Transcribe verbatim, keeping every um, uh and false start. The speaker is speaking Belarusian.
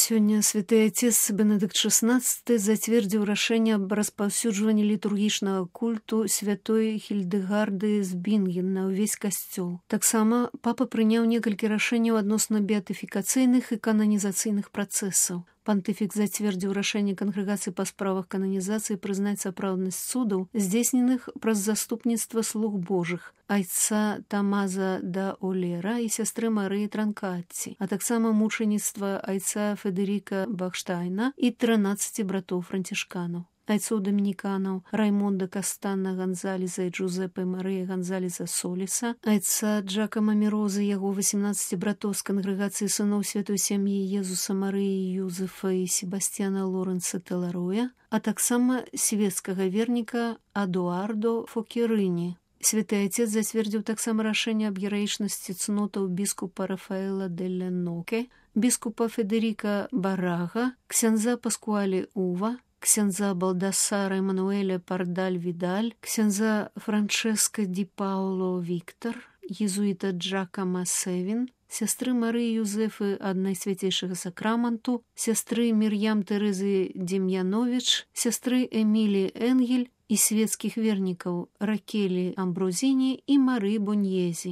Сёння святы отец Бенедыкт шестнадцаты зацвердзіў рашэнне аб распаўсюджванні літургічнага культу святой Хільдэгарды з Бінген на ўвесь касцёл. Таксама папа прыняў некалькі рашэнняў адносна беатыфікацыйных і кананізацыйных працэсаў. Пантыфік зацвердзіў рашэнне кангрэгацыі па справах кананізацыі прызнаць сапраўднасць цудаў, здзейсненых праз заступніцтва слуг Божых, айца Тамаза да Олера і сястры Марыі Транкатці, а таксама мучаніцтва айца Федэріка Бахштайна і трынаццаці братоў францішканаў. Айцоў дамініканаў Раймонда Кастанна Гонзалеса і Джузеппе Марыя Гонзалеса Соліса, айца Джакама Міроза, яго васемнаццаці братоў з кангрэгацыі сыноў святой сям'і Езуса Марыі Юзефа і Себасцьяна Лорэнца Телароя, а таксама свецкага верніка Адуардо Фокерыні. Святы Отец зацвердзіў таксама рашэнне аб гераічнасці цнотаў біскупа Рафаэла Делля Ноке, біскупа Федэріка Барага, ксяндза Паскуалі Ува, ксяндза Балдасара Эмануэля Пардаль-Відаль, ксяндза Франческа Ді Пауло Віктар, езуіта Джакама Севін, сястры Марыі Юзефы ад Найсвяцейшага Сакраманту, сястры Мір'ям Тэрэзы Дем'яновіч, сястры Эмілі Энгель і свецкіх вернікаў Ракелі Амброзіні і Мары Боньезі.